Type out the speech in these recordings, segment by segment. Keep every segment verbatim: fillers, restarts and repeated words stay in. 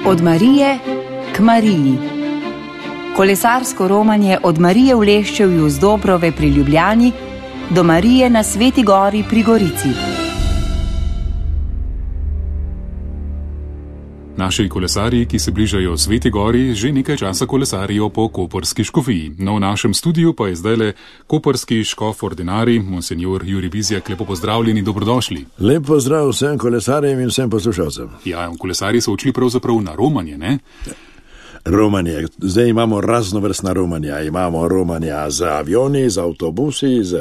Od Marije k Mariji. Kolesarsko romanje od Marije v Leščevju z Dobrove pri Ljubljani do Marije na Sveti gori pri Gorici. Naši kolesarji, ki se bližajo Sveti gori, že nekaj časa kolesarijo po koprski škofiji. No, v našem studiu pa je zdajle koprski škof ordinarij, monsenjor Jurij Bizjak. Lepo pozdravljeni, dobrodošli. Lep pozdrav vsem kolesarjem in vsem poslušalcem. Ja, kolesarji so odšli pravzaprav na romanje, ne? Romanje. Zdaj imamo raznovrstna romanja. Imamo romanja z avioni, z avtobusi, z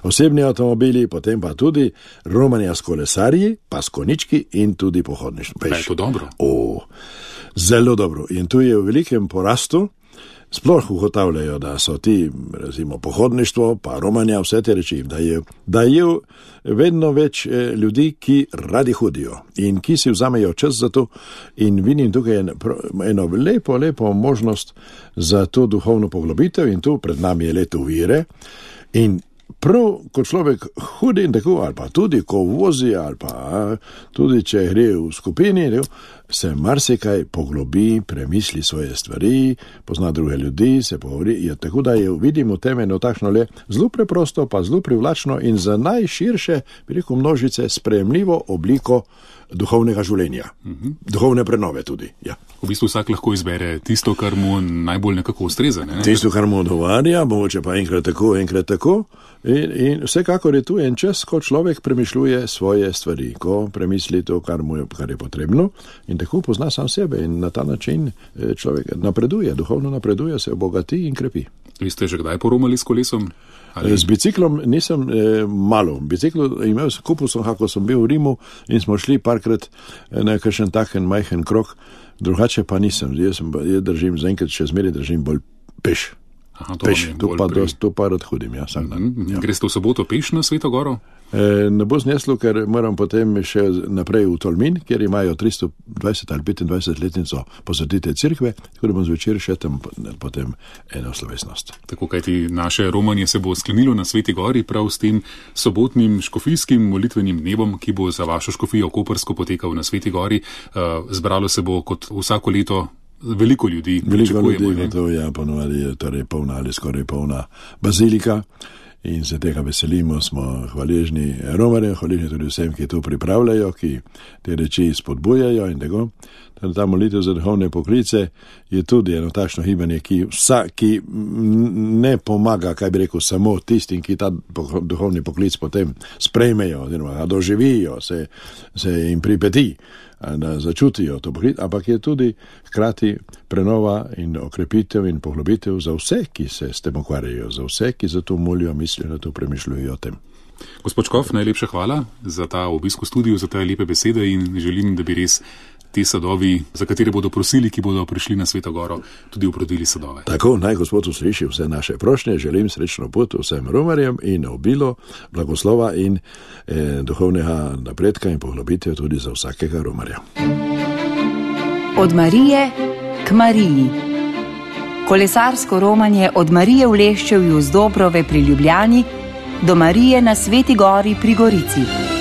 osebni avtomobili, potem pa tudi romanja s kolesarji, pa s konički in tudi pohodništvo. Pa je to dobro? O, zelo dobro. In tu je v velikem porastu. Sploh ugotavljajo, da so ti, recimo, pohodništvo, pa romanja, vse te reči, da je, da je vedno več ljudi, ki radi hodijo in ki si vzamejo čas za to. In vidim tukaj eno lepo, lepo možnost za to duhovno poglobitev in tu pred nami je leto vire. In prav, ko človek hodi in tako, ali pa tudi, ko vozi, ali pa tudi, če gre v skupini, se marsikaj poglobi, premisli svoje stvari, pozna druge ljudi, se pogovori. Je tako, da je, vidimo temeno takšno le zelo preprosto, pa zelo privlačno in za najširše, bi rekel, množice sprejemljivo obliko duhovnega življenja. Uh-huh. Duhovne prenove tudi, ja. V bistvu vsak lahko izbere tisto, kar mu najbolj nekako ustreza, ne? Tisto, kar mu odgovarja, mogoče pa enkrat tako, enkrat tako. In, in vsekakor je tu en čas, ko človek premišljuje svoje stvari, ko premisli to, kar mu je, kar je potrebno in tako pozna sam sebe in na ta način človek napreduje, duhovno napreduje, se obogati in krepi. Vi ste že kdaj poromali s kolesom? Ali? Z biciklom nisem eh, malo. Biciklo imel sem, kupil sem, kako sem bil v Rimu in smo šli parkrat na kakšen taken majhen krok, drugače pa nisem. Jaz, sem, jaz držim, zaenkrat še zmeraj držim bolj peš. Aha, to peš, to pa, dost, to pa rad hodim, ja, vsak dan. Mm-hmm. Ja. Greste v soboto peš na Sveto goro? E, ne bo zneslo, ker moram potem še naprej v Tolmin, kjer imajo tristo dvajset ali petindvajset letnico posvetite cerkve, tako da bom zvečer še tam potem eno slovesnost. Tako, kajti naše romanje se bo sklenilo na Sveti gori prav s tem sobotnim škofijskim molitvenim dnevom, ki bo za vašo škofijo koprsko potekal na Sveti gori. Uh, zbralo se bo kot vsako leto veliko ljudi. Veliko ljudi, to je ponovadi je torej polna ali skoraj polna bazilika. In se tega veselimo, smo hvaležni romarjem, hvaležni tudi vsem, ki to pripravljajo, ki te reči spodbujajo in tako. Ta molitev za duhovne poklice je tudi eno takšno gibanje, ki, vsa, ki ne pomaga, kaj bi rekel, samo tistim, ki ta duhovni poklic potem sprejmejo, oziroma doživijo, se, se jim pripeti, da začutijo to poklic, ampak je tudi hkrati prenova in okrepitev in poglobitev za vse, ki se s tem ukvarjajo, za vse, ki za to molijo, mislijo, da to premišljujo o tem. Gospod Škof, najlepša hvala za ta obisk v studiu, za te lepe besede in želim, da bi res ti sadovi, za katere bodo prosili, ki bodo prišli na Sveto goro, tudi uprodili sadove. Tako, naj Gospod usliši vse naše prošnje, želim srečno pot vsem romarjem in obilo, blagoslova in eh, duhovnega napredka in poglobitev tudi za vsakega romarja. Od Marije k Mariji. Kolesarsko romanje od Marije v Leščevju z Dobrove pri Ljubljani do Marije na Sveti gori pri Gorici.